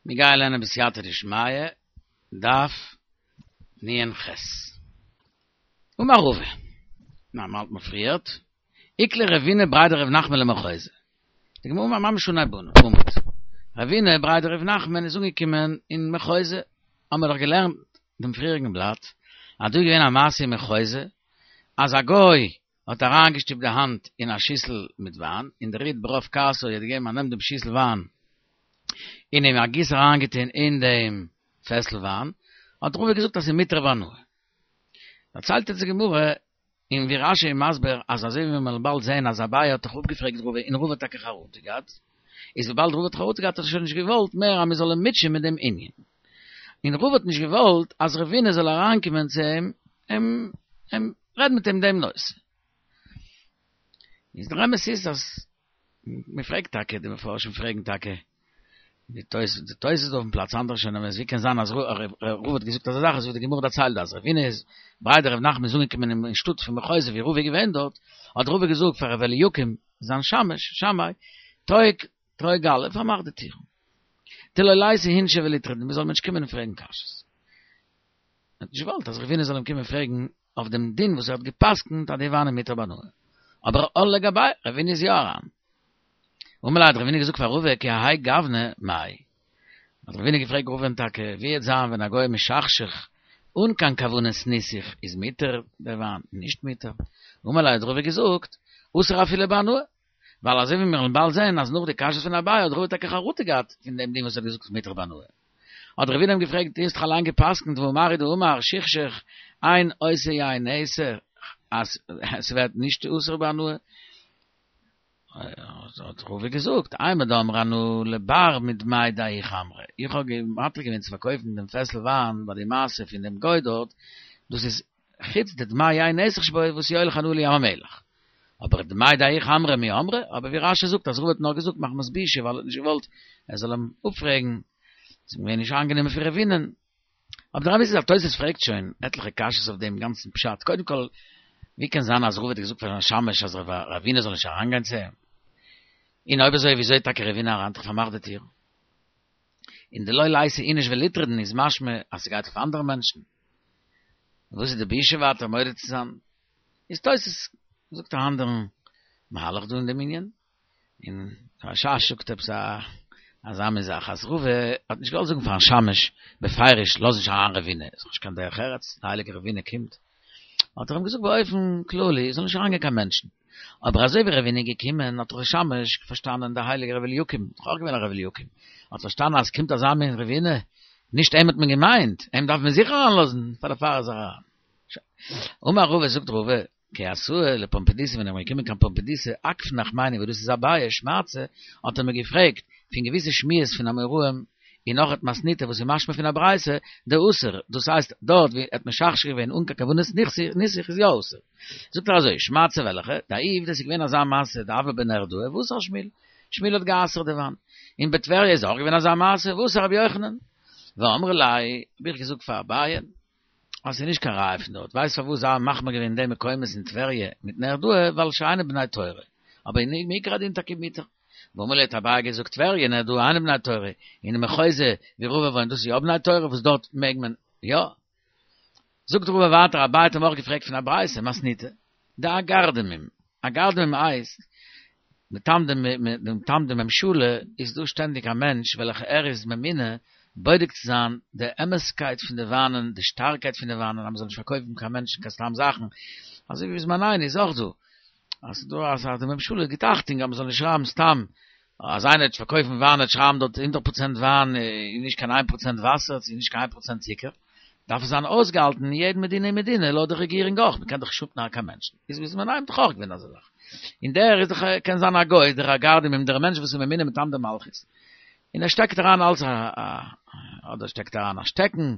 מיר גייען לערנען בסייעתא דשמיא, דף נ"ח. אמר רבא, ניין מ'האלט מיר פריערט, איקלע רבינא בריה דרב נחמן למחוזא. די גמרא ממש אנהייב עמוד. רבינא בריה דרב נחמן איז אנגעקומען אין מחוזא, האמיר דאך געלערנט דעם פריעריגן בלאט, אז דא איז געווען א מעשה אין מחוזא, אז א גוי האט אריינגעשטופט די האנט אין א שיסל מיט וויין, און דער איד ברוב כעסו האט געגעבן א נעם דעם שיסל וויין און אים א גיס אריינגעטון אין דעם פעסל וויין, האט רבא געזאגט אז ס'איז מותר בהנאה. דערציילט אונז די גמרא, און ווי רש"י איז מסביר אז אזוי ווי מיר וועלן באלד זען אז אביי האט דאך אפגעפרעגט רבא און רבא האט טאקע חרטה געהאט, איז וויבאלד רבא האט חרטה געהאט האט ער שוין נישט געוואלט מער אז מען זאל אים מוטשען מיט דעם ענין. און רבא האט נישט געוואלט אז רבינא זאל אריינקומען צו אים און רעדן מיט אים דעם נושא. איז דער אמת איז אז מען פרעגט טאקע, די מפרשים פרעגן טאקע, די תוס' די תוס' דא אויפן פלאץ אנדערע שוין אבער ווי קען זיין אז רבא האט געזאגט אזא זאך אזוי ווי די גמרא דערציילט אז רבינא איז בריה דרב נחמן איז אנגעקומען אין שטאט פון מחוזא ווי רבא איז געווען דארט, האט רבא געזאגט פאר ר' אליקים זיין שמש, שמאי, טרוק טרוק גלי, פארמאך די טיר. דלא ליתי אינשי וליטרדו, מען זאל מיר נישט קומען און פרעגן קשיות. ער האט נישט געוואלט אז רבינא זאל אים קומען פרעגן אויף דעם דין וואס ער האט גע'פסק'נט אז די וויין איז מותר בהנאה. אבער על לגביה, רבינא איז יא אריין. אמר ליה האט רבינא געזאגט פאר רבא כי האי גוונא מאי. האט רבינא געפרעגט רבא'ן טאקע ווי וועט זיין ווען א גוי משכשך אן קיין כוונת ניסוך איז מותר דער וויין נישט מותר. אמר ליה האט רבא געזאגט אסור אפילו בהנאה. ווייל אזוי ווי מיר וועלן באלד זען אז נאך די קשיות פון אביי האט רבא טאקע חרטה געהאט פון דעם דין וואס ער האט געזאגט מותר בהנאה. האט רבינא אים געפרעגט דו האסט דאך אליין גע'פסק'נט והא מר הוא דאמר שכשוך אין עושה יין נסך אז ס'ווערט נישט אסור בהנאה. האט רבא געזאגט אימר דאמרי אנא לבר מדמאי דההוא חמרא איך האב מתיר געווען צו פארקויפן דעם פעסל וויין ביי די מעשה פון דעם גוי דארט דאס איז חוץ די דמאי יין נסך שבו וואס יוליך הנאה לים המלח. אבער דמאי דההוא חמרא מי אמרי, אבער ווי רש"י זאגט אז רבא האט נאר געזאגט מחמת בושה ווייל ער האט נישט געוואלט ער זאל אים אפפרעגן, ס'איז געווען נישט איינגענומען פון רבינא'ן. אבער דער אמת איז אז תוס' פרעגט שוין עטליכע קשיות אויף דעם גאנצן פשט, קודם כל ווי קען זיין אז רבא האט געזאגט פאר זיין שמש אז רבינא זאל נישט אריינגיין צו אים? און אויב אזוי וויאזוי איז טאקע רבינא אריין האט דאך פארמאכט די טיר? און דלא ליתי איניש וליטרדן איז משמע אז ס'גייט אויף אנדערע מענטשן. וואס איז די בושה ווייטער מודה צו זיין? איז תוס' זאגט א אנדערן מהלך דא אין דעם ענין, און רש"ש זאגט עפעס א אזא מין זאך אז רבא האט נישט געוואלט זאגן פארן שמש בפירוש לאז נישט אריין רבינא, איז דאך נישט קיין דרך ארץ, די הייליגע רבינא קומט, האט ער אים געזאגט באופן כללי זאל נישט אריינגיין קיין מענטשן, אבער אזוי ווי רבינא איז געקומען האט דאך דער שמש פארשטאנען דער הייליגער רבי אליקים, דאך אויך געווען א רבי אליקים, האט פארשטאנען אז קומט אזא מין רבינא, נישט אים האט מען געמיינט, אים דארף מען זיכער אריינלאזן, פאר דערפאר איז ער אריין. אמר רבא זאגט רבא, כי אתאי לפומבדיתא ווען איך בין געקומען קיין פומבדיתא אכף נחמני וואס דאס איז אביי שמעתתא האט ער מיר געפרעגט פון געוויסע שמועות פון אמוראים און נאך מתניתא וואס איז משמע פון א ברייתא דאסור דאס הייסט דארט ווי ער האט משכשך געווען אן קיין כוונת ניסוך איז יא אסור זאגט ער אזוי שמעתתא וועלכע דההוא עובדא ס'איז געווען אזא מעשה דהוה בנהרדעא ואסר שמואל שמואל האט גע'אסר'ט די וויין און בטבריה איז אויך געווען אזא מעשה ואסר רבי יוחנן ואמרי ליה האב איך געזאגט פאר אביי אז ס'איז נישט קיין ראיה פון דארט, ווייסט פארוואס זיי האבן מחמיר געווען אין די מקומות אין טבריה מיט נהרדעא ווייל שאינן בני תורה, אבער אין מעיקר הדין טאקע מותר. ואמרי ליה האט אביי געזאגט טבריה נהרדעא אינן בני תורה, און אין מחוזא ווי רבא וואוינט דאס איז יא בני תורה וואס דארט מעג מען יא. זאגט רבא ווייטער אביי האט אים אויך געפרעגט פון א ברייתא מתניתא דאגרדמים, אגרדמים הייסט מטעם די מטעם די ממשלה איז דא שטענדיג א מענטש וועלכע ער איז ממונה בודק צו זיין די אמת'קייט פון די וויינען, די שטארקייט פון די וויינען, אז מ'זאל נישט פארקויפן קיין מענטשן קיין סתם זאכן, אזוי ווי בזמנינו איז אויך דא, אז ס'איז דא אז די ממשלה גיט אכטונג אז מ'זאל נישט שרייבן סתם, אז איינער וועט פארקויפן וויין וועט שרייבן דארט הונדערט פראצענט וויין און נישט קיין איין פראצענט וואסער, צו נישט קיין איין פראצענט צוקער. דארף עס זיין אויסגעהאלטן אין יעדן מדינה און מדינה לויט די רעגירונג אויך, מ'קען דאך נישט אפנארן קיין מענטשן, איז בזמנינו דאך אויך געווען אזא זאך, און דער איז דאך קען זיין א גוי, דער אגרדימים דער מענטש וואס איז ממונה מטעם די מלכות, און ער שטעקט אריין אלס א אדער שטעקט אריין א שטעקן,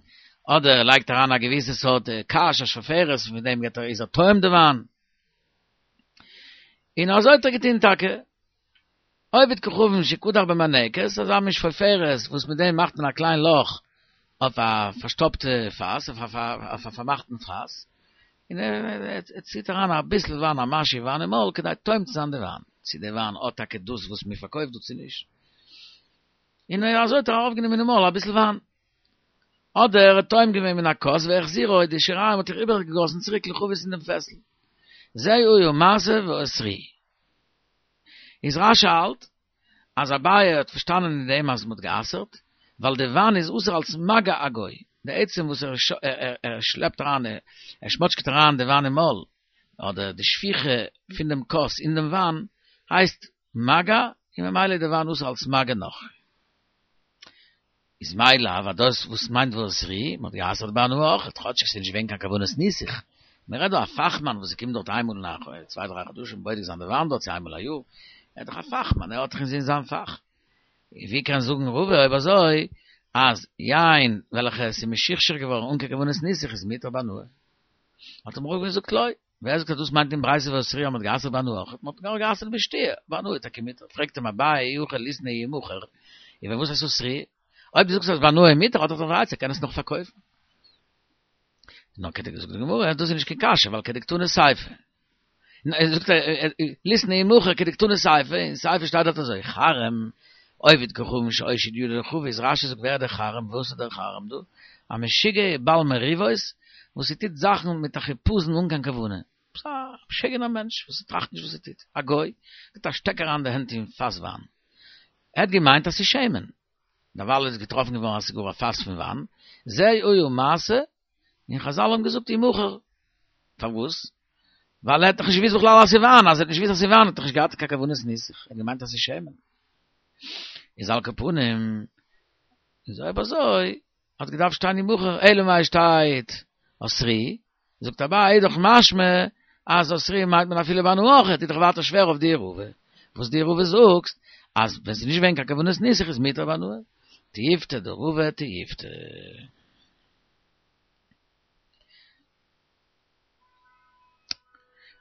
אדער לייגט אריין א געוויסע סארט קש, א שפופרת, פון דעם געט ער איז ער טועם די וויין. און אזוי האט ער געטון טאקע. עובד כוכבים שקדח במנקת, אזא מין שפופרת וואס מיט דעם מאכט מען א קליין לאך אויף א פארשטאפטע פאס, אויף א פארמאכטן פאס, און ער ציט אריין אביסל וויין, א משהו וויין אין מויל, כדי טועם צו זיין די וויין, צו די וויין האט טאקע דאס וואס מען פארקויפט דא צו נישט. און אזוי האט ער ארויפגענומען אין מויל אביסל וויין. אדער ער האט טועם געווען מן הכוס והחזירו, די שיריים האט ער איבערגעגאסן צוריק לחבית אין דעם פעסל. זה היה מעשה ואסרוהו. איז רש"י האלט אז אביי האט פארשטאנען אין דעם אז מ'האט גע'אסר'ט, ווייל די וויין איז אסור אלס מגע הגוי, די עצם וואס ער ער שלעפט אריין, ער שמאטשקעט אריין די וויין אין מויל, אדער די שפיכה פון דעם כוס אין דעם וויין, הייסט מגע, און ממילא איז די וויין אסור אלס מגע נכרי. איז מאי לאו אז דאס וואס מיינט ואסרוהו, מ'האט גע'אסר'ט בהנאה אויך, כאטשיג ס'איז נישט געווען קיין כוונת ניסוך, מ'רעדט דא א פאכמאן וואס קומט דארט איינמאל אין א צוויי דריי חדשים בודק זיין די וויין דארט צו איינמאל א יאר, ער איז דאך א פאכמאן, ער האט דאך אינזין זיין פאך. ווי קען זאגן רבא אויב אזוי אז יין וועלכע עס איז משוכשר געווארן אן קיין כוונת ניסוך איז מותר בהנאה? האט אים רבא געזאגט לא. ווער זאגט אז דאס מיינט אין ברייתא ואסרוהו אז מ'האט גע'אסר'ט בהנאה אויך? מ'האט נאר גע'אסר'ט בשתיה, בהנאה איז טאקע מותר. פרעגט אים אביי אי הכי ליתני ימכר, און וואס הייסט אסרוהו? אויב דו זאגסט אז בהנאה איז מותר האט ער דאך א עצה ער קען עס נאך פארקויפן. נאר כדק זאגט די גמרא דאס איז נישט קיין קשיא ווייל כדקתני סיפא. זאגט ער ליתני ימכר כדקתני סיפא, אין סיפא שטייט דארט אזוי חרם עובד כוכבים שהושיט ידו לחבית, רש"י זאגט ווער איז דער חרם וואס איז דער חרם דא? א משוגע בעל מריבות וואס ער טוט זאכן מיט א חיפזון אן קיין כוונה, א משוגענער מענטש וואס טראכט נישט וואס ער טוט, א גוי, גיבט א שטעק אריין די הענט אין פאס וויין, ער האט געמיינט אז ס'איז שמן, דערווייל איז געטראפן געווארן אז ס'איז גאר א פאס פון וויין, זה היה מעשה, און חזל האבן געזאגט ימכר, פארוואס? ווייל ער האט דאך נישט געוואוסט בכלל אז ס'איז וויין, אז ער האט נישט געוואוסט אז ס'איז וויין האט ער נישט געהאט קיין כוונת ניסוך, ער האט געמיינט אז ס'איז שמן. איז על כל פנים, איז אויב אזוי, האט געדארפט שטיין ימכר, אלא מאי שטייט אסרוהו, זאגט אביי איז דאך משמע אז אסרוהו מיינט מען אפילו בהנאה אויך, איז דאך ווייטער שווער אויף דיר רבא, וואס דו רבא זאגסט אז ווען ס'איז נישט געווען קיין כוונת ניסוך איז מותר בהנאה. תיובתא דרבא תיובתא.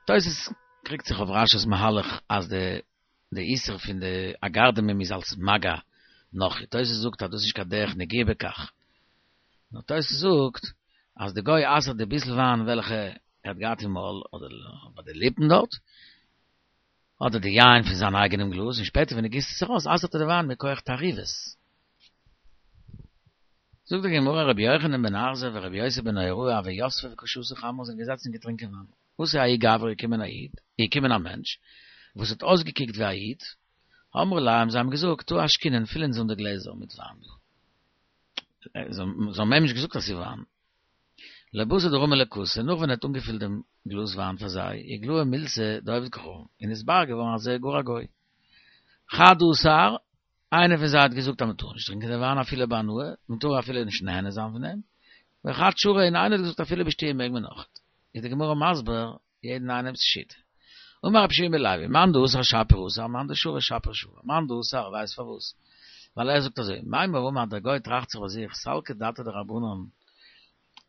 תוס' קריגט זיך אויף רש"י'ס מהלך אז די די איסור פון די אגרדמים איז אלס מגע נכרי, תוס' זאגט אז דאס איז נישט קיין דרך נגיעה בכך, נאר תוס' זאגט אז די גוי אסר'ט די ביסל וויין וועלכע ער האט געהאט אין מויל אדער ביי די ליפן דארט, אדער די יין פון זיין אייגענעם גלאז, און שפעטער ווען ער גיסט עס ארויס אסר'ט ער די וויין מכח תערובות. זאגט די גמרא רבי יוחנן בן ארזיב ורבי יוסי בן נהוראי הוו יתבי וקא שתו חמרא זענען געזעצן און געטרינקען וויין. אתא ההוא גברא איז געקומען א איד, איז געקומען א מענטש, וואס האט אויסגעקוקט ווי א איד, אמרו ליה האבן זיי אים געזאגט, תא אשקינן, פיל אונז אן די גלעזער מיט וויין. זיי האבן אים נישט געזאגט אז ס'איז וויין. לבתר דרמא להו כסא, נאך ווען ער האט אנגעפילט דעם גלאז וויין פאר זיי, איגלאי מילתא דעובד כוכבים, און נתברר געווארן אז ער איז גאר א גוי. חד אסר, איינער פון זיי האט געזאגט אז מען טאר נישט טרינקען די וויין אפילו בהנאה, מען טאר אפילו נישט נהנה זיין פון דעם, וחד שרא און איינער האט געזאגט אפילו בשתיה מעג מען אויך. איז די גמרא מסביר יעדן איינעמ'ס שיטה. אמר רבי יהושע בן לוי, מאן דאסר שפיר אסר, מאן דשרי שפיר שרי, מאן דאסר ווייסט פארוואס? ווייל ער זאגט אזוי, מימר אמר דער גוי טראכט זיך ביי זיך, סלקא דעתא דרבנן,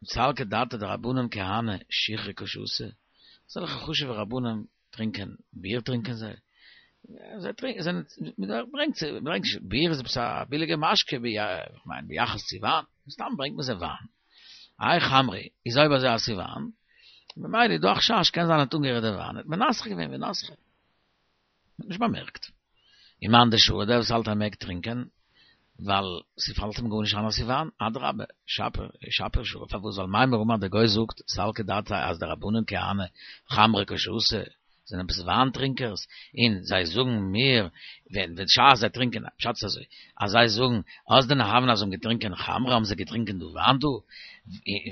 סלקא דעתא דרבנן כהני שיכרא קא שתו, אזעלכע חשוב'ע רבנים טרינקען ביר טרינקען זיי, זיי טרינקען זיי מען ברענגט זיי מען ברענגט ביר איז עפעס א ביליגע משקה ווי איך מיין ביחס צו וויין, סתם ברענגט מען זיי וויין, האי חמרא איז אויב אזוי אז ס'איז וויין, ממילא איז דא א חשש קען זיין ער האט אנגערירט די וויין, האט מנסך געווען ונסכה. מ'האט נישט באמערקט. ומאן דשרי דער וואס האלט אז מ'מעג טרינקען, ווייל ס'פאלט אים גארנישט איין אז ס'איז וויין, אדרבה, שפיר, שפיר שרי, פארוואס? ווייל מימר אמר דער גוי זאגט, סלקא דעתיה אז די רבנן כהני חמרא קא שתו, זענען עפעס וויין טרינקערס, און זיי זאגן מיר, ווען בשעת זיי טרינקען, פשט איז אזוי, אז זיי זאגן, אז דנהוין אז זיי האבן געטרינקען חמרא האבן זיי געטרינקען דא וויין דא,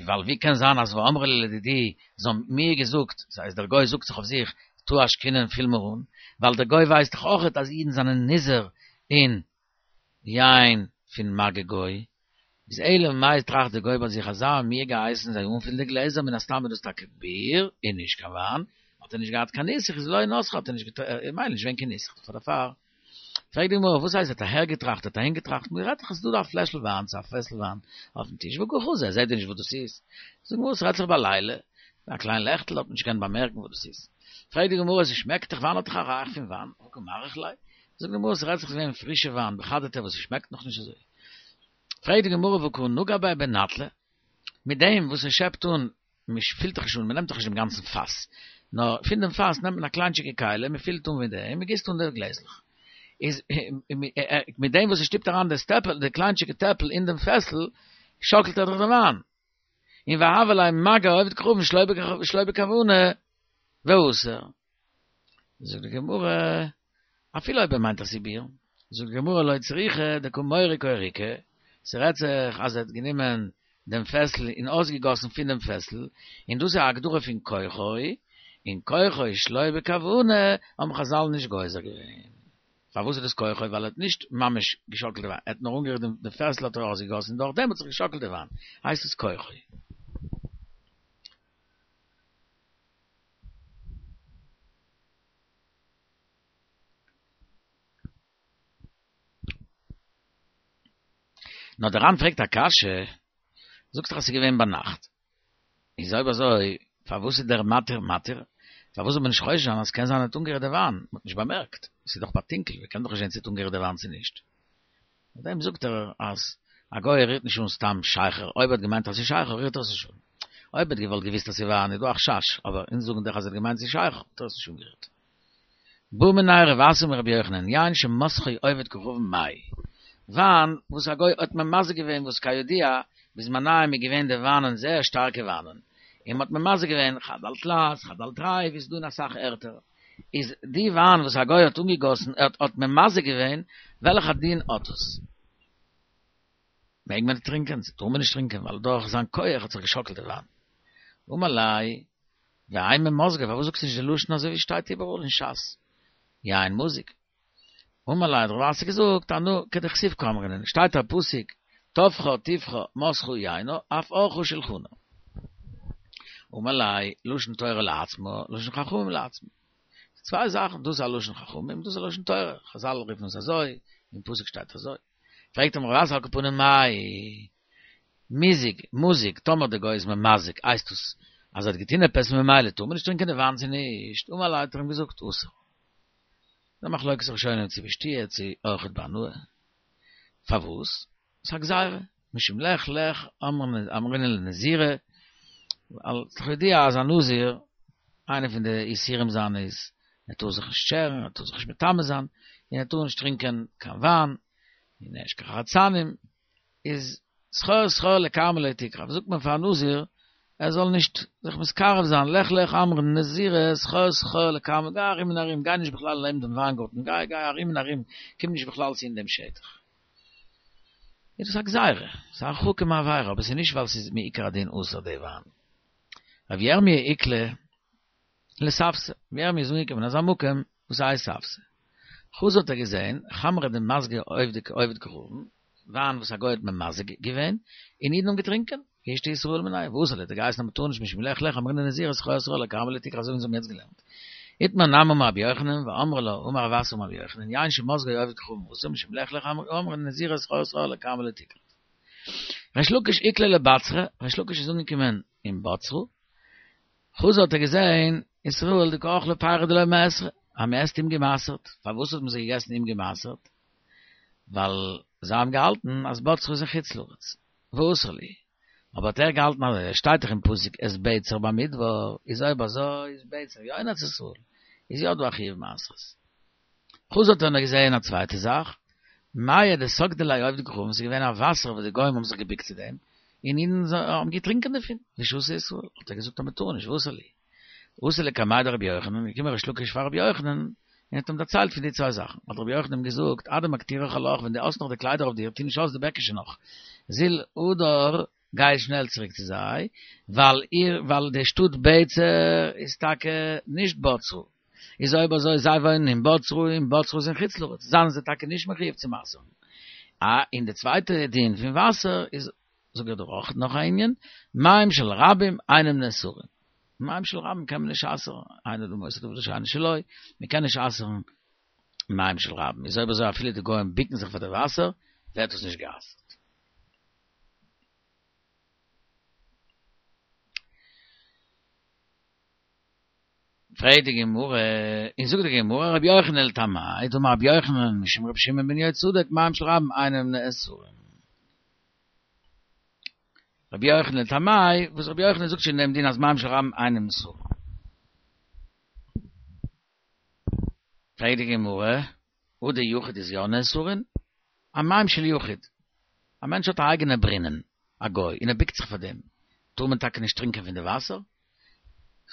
ווייל ווי קען זיין אז ואמרי לי לדידי, זיי האבן מיר געזאגט, ס'הייסט דער גוי זאגט זיך אויף זיך, תא אשקינן פיל מיר אן, ווייל דער גוי ווייסט דאך אויכעט אז אידן זענען נזהר אין יין פון מגע גוי, איז אלא מאי טראכט דער גוי ביי זיך אז זיי האבן מיר געהייסן זיי אנפילן די גלעזער מן הסתם איז דאס טאקע ביר און נישט קיין וויין, האט ער נישט געהאט קיין ניסוך איז לא נסכה האט ער נישט ממילא נישט געווען קיין ניסוך פאר דערפאר. פרעגט די גמרא וואס הייסט ער האט אהער געטראכט האט אהין געטראכט מען רעדט דאך עס איז דא דא א פלעשל וויין צו א פעסל וויין אויפן טיש והא קא חזי ער זעט דען נישט וואס דאס איז זאגט די גמרא עס רעדט זיך בלילה א קליין לעכטל האט מען נישט געקענט באמערקן וואס דאס איז פרעגט די גמרא עס שמעקט דאך וויין האט דאך א ריח פון וויין הא קא מריח ליה זאגט די גמרא עס רעדט זיך געווען פרישע וויין בחדתא וואס עס שמעקט נאך נישט אזוי פרעגט די גמרא והא קא נגע ביה בנטלא מיט דעם וואס ער שעפט אן מען פילט דאך נישט אן, מען נעמט דאך נישט דעם גאנצן פאס, נאר פון דעם פאס נעמט מען א קליינטשיגע כלי, מען פילט אן מיט דעם, מען גיסט אן די גלעזלעך. איז מיט דעם וואס ער שטופט אריין די טעפל, די קליינטשיגע טעפל אין דעם פעסל, שאקלט ער דאך די וויין. און והוה ליה מגע עובד כוכבים שלא בכוונה ואסור. זאגט די גמרא, אפילו אויב ער מיינט אז ס'איז ביר, זאגט די גמרא לא צריכא דקא מורק אוריקא, ס'רעדט זיך אז ער האט גענומען דעם פעסל און אויסגעגאסן פון דעם פעסל, און דאס איז א הגדרה פון כוחו, און כוחו שלא בכוונה האבן חזל נישט גוזר געווען. פארוואס איז דאס כוחו? ווייל ער האט נישט ממש געשאקלט די וויין, ער האט נאר אנגערירט דעם פעסל האט ער אויסגעגאסן און דורכדעם האט זיך געשאקלט די וויין, הייסט עס כוחו. נאר דער ר"ן פרעגט א קשיא, זאגסט דאך אז ס'איז געווען ביינאכט, איז אויב אזוי פארוואס איז דער מתיר מתיר? פארוואס זאל מען נישט חושש זיין אז ס'קען זיין ער האט אנגערירט די וויין, מ'האט נישט באמערקט, ס'איז דאך ביי טונקל, מ'קען דאך נישט זען צו ער האט אנגערירט די וויין צו נישט. אויף דעם זאגט ער אז א גוי רירט נישט אן סתם שכר, אויב ער האט געמיינט אז ס'איז שכר רירט ער עס נישט אן. אויב ער האט געוואלט געוויסט אז ס'איז וויין איז דא א חשש, אבער אונז זאגן דאך אז ער האט געמיינט ס'איז שכר האט ער עס נישט אנגערירט. בעא מיניה רב אסי מרבי יוחנן, יין שמסכו עובד כוכבים מאי. וויין וואס א גוי האט ממזג געווען וואס כידוע בזמניהם איז געווען די וויינען זייער שטארקע וויינען, און מ'האט ממזג געווען חד על תלת חד על תרי ווי ס'איז דא אין אסאך ערטער. איז די וויין וואס א גוי האט אנגעגאסן ער האט ממזג געווען, וועלכע דין האט עס? מעג מען טרינקען? צו טאר מען נישט טרינקען ווייל דורך זיין כח האט זיך געשאקלט די וויין? אמר ליה, ואימא מזגיה פארוואס זאגסטו נישט די לשון אזוי ווי שטייט איבעראל אין ש"ס? יין מזוג. אמר ליה האט רב אסי געזאגט אנא כדכתיב קאמרינן, שטייט א פסוק טפחה טפחה מסכה יינה אף ערכה שלחנה. אמר ליה, לשון תורה לעצמה, לשון חכמים לעצמה. צוויי זאכן, דאס איז א לשון חכמים, דאס איז א לשון תורה, חזל רופן עס אזוי, אין פסוק שטייט אזוי. פרעגט אים רב אסי על כל פנים מאי, מיזוג, מוזיג, טאמער די גוי איז ממזג, הייסט עס אז ער האט געטון עפעס ממילא טאר מען נישט טרינקען די וויין צו נישט, אמר ליה האט ער אים געזאגט אסור. די מחלוקת ראשונים צו בשתיה צו אויכעט בהנאה. פארוואס? ס'איז א גזירה, משום לך לך אמרינן לנזירא, ווייל ס'איז דאך ידוע אז א נזיר, איינע פון די איסורים זיינע איז, ער טאר זיך נישט שערן, ער טאר זיך נישט מטמא זיין, און ער טאר נישט טרינקען קיין וויין, און נישט קיין חרצנים, איז סחור סחור לכרמא לא תקרב, זאגט מען פאר א נזיר ער זאל נישט זיך מתקרב זיין, לך לך אמרינן לנזירא, סחור סחור לכרמא, גיי ארום און ארום, גיי נישט בכלל לעבן דעם וויינגארטן, גיי גיי ארום און ארום, קום נישט בכלל צו אין דעם שטח. איז דאס א גזירה, ס'איז א הרחקה מעבירה, אבער ס'איז נישט ווייל ס'איז מעיקר הדין אסור די וויין. רב ירמי' איקלע לספתא, רב ירמי' איז אנגעקומען אין אזא מקום וואס הייסט ספתא. חזא האט ער געזען, חמרא דמזגיה עובדי כוכבים, וויין וואס א גוי האט ממזג געווען, און אידן האבן געטרינקען, וישתו ישראל מיניה, ואסר להו האט ער געהייסן אז מ'טאר נישט משום לך לך אמרינן לנזירא סחור סחור לכרמא לא תקרב אזוי ווי אונז האבן יעצט געלערנט. איתמר נמי אמר רבי יוחנן, ואמרי לה, אמר רב אסי אמר רבי יוחנן, יין שמזגו עובד כוכבים אסור משום לך לך אמרינן לנזירא סחור סחור לכרמא לא תקרב. ריש לקיש איקלע לבצרה, ריש לקיש איז אנגעקומען אין בצרה, חזא האט ער געזען ישראל דקא אכלי פירי דלא מעשרי, אז מען עסט אומגעמעשרט, פארוואס האט מען זיי געגעסן אומגעמעשרט? ווייל זיי האבן געהאלטן אז בצרה איז אין חוץ לארץ, ואסר להו, אבער האט ער געהאלטן אז עס שטייט דאך אין פסוק את בצר במדבר, איז אויב אזוי איז בצר יא אין ארץ ישראל, איז יא דא א חיוב מעשרות. חזא האט ער נאך געזען א צווייטע זאך, מיא דסגדי ליה עובדי כוכבים, ס'איז געווען א וואסער וואס די גוים האבן זיך געביקט צו דעם, און אידן האבן געטרינקען דערפון, ושתו ישראל, האט ער געזאגט אז מען טאר נישט, ואסר להו. אתא לקמיה דרבי יוחנן, איז געקומען ריש לקיש פאר רבי יוחנן, און האט אים דערציילט פון די צוויי זאכן, האט רבי יוחנן אים געזאגט, אדמקטירך עלך, ווען דו האסט נאך די קליידער אויף דיר, טו נישט אויס די בעקישע נאך, זיל הדר, גיי שנעל צוריק צו זיי, ווייל איר, ווייל די שטאט בצר איז טאקע נישט בצרה, איז אויב אזוי זיי וואוינען אין בצרה און בצרה איז אין חוץ לארץ, זיינען זיי טאקע נישט מחויב צו מעשר'ן. אה, און די צווייטע דין פון וואסער איז, זאג איך דיר אויך נאך א ענין, מים של רבים אינם נאסרים. מים של רבים קען מען נישט אסר'ן, אין אדם עושה דבר שאינו שלו, מען קען נישט אסר'ן מים של רבים, איז אויב אזוי אפילו די גוים ביקן זיך פאר די וואסער, ווערט עס נישט גע'אסר'ט. פרעגט די גמרא, און זאגט די גמרא, רבי יוחנן לטעמיה, דאמר רבי יוחנן משום רבי שמעון בן יהוצדק מים של רבים אינם נאסרים. רבי יוחנן לטעמיה, וואס רבי יוחנן זאגט שוין דעם דין אז מים של רבים אינם נאסרים. פרעגט די גמרא, הא דיחיד איז יא נאסרין, א מים של יחיד, א מענטש האט א אייגענע ברינען, א גוי, און ער ביקט זיך פאר דעם, טאר מען טאקע נישט טרינקען פון די וואסער?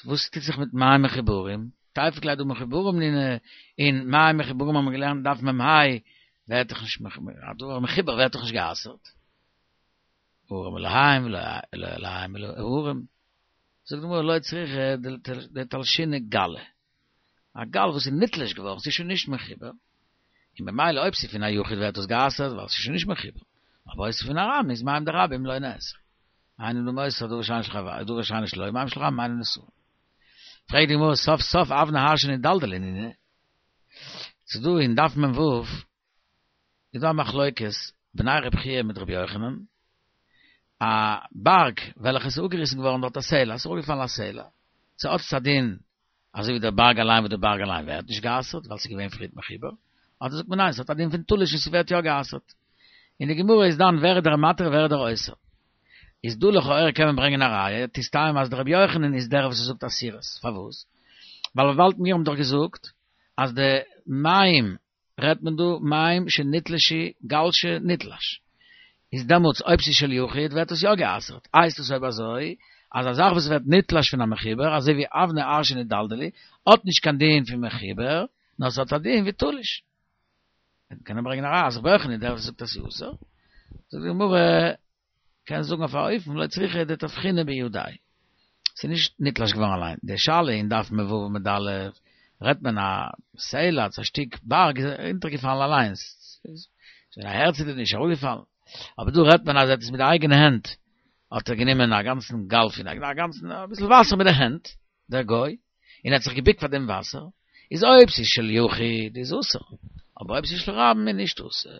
וואס טוט זיך מיט מים מחוברים? תיפוק ליה דהא מחוברים נינהו, און מים מחוברים האבן מיר געלערנט דף מ"ה, ווערט דאך נישט, א דבר מחובר ווערט דאך נישט גע'אסר'ט. ערום אלהים ולא אלהים אלא ערום. זאגט די גמרא לא צריכא דתלשינהו גלא. א גל וואס איז נתלש געווארן, ס'איז שוין נישט מחובר, און במילא אויב ס'איז פון א יחיד ווערט דאס גע'אסר'ט ווייל ס'איז שוין נישט מחובר, אבער אויב ס'איז פון א רבים איז מים דרבים לא נאסרו. אין אדם אוסר דבר שאינו של חבירו, דבר שאינו שלו, מים של רבים אינן נאסרין. פרעגט די גמרא סוף סוף אבני הר שנדלדלו נינהו, ס'איז דא אין דף מ"ו איז דא א מחלוקת בני רב חייא מיט רבי יוחנן, א בארג וועלכע איז אפגעריסן געווארן דארט א סלע, עס איז אראפגעפאלן א סלע, צו האט עס א דין אזוי ווי דער בארג אליין וואס דער בארג אליין ווערט נישט גע'אסר'ט ווייל ס'איז געווען פריערט מחובר, אדער זאגט מען ניין ס'האט א דין פון תלוש און ס'ווערט יא גע'אסר'ט. אין די גמרא איז דן ווער איז דער מתיר ווער איז דער אוסר. איז דא לכאורה קען מען ברענגען א ראיה, תסתיים אז דער רבי יוחנן איז דער וואס זאגט אסירות, פארוואס? ווייל וויבאלד מיר האבן דאך געזאגט אז די מים רעדט מען דא מים שנתלשו גל שנתלש, איז דעמאלטס אויב ס'איז של יחיד ווערט עס יא גע'אסר'ט, הייסט עס אויב אזוי אז א זאך וואס ווערט נתלש פון א מחובר אזוי ווי אבני הר שנדלדלו האט נישט קיין דין פון מחובר נאר ס'האט א דין ווי תלוש. וועט מען קענען ברענגען א ראיה אז רבי יוחנן איז דער וואס זאגט אז ס'איז אסור, זאגט די גמרא קען זאגן אויף א אופן לא צריכא דתבחינא בידיה. ס'איז נישט נתלש געווארן אליין. די שאלה אין דף מ"ו עמוד א' רעדט מען א סלע, א שטיק בארג איז אונטערגעפאלן אליינס. ס'איז א הערצעלע נישט אראפגעפאלן. אבער דא רעדט מען אז ער האט עס מיט די אייגענע הענט האט ער גענומען א גאנצן גל פון א גאנצן אביסל וואסער מיט די הענט, דער גוי, און ער האט זיך געביקט פאר דעם וואסער, איז אויב ס'איז של יחיד איז אסור, אבער אויב ס'איז של רבים איז נישט אסור.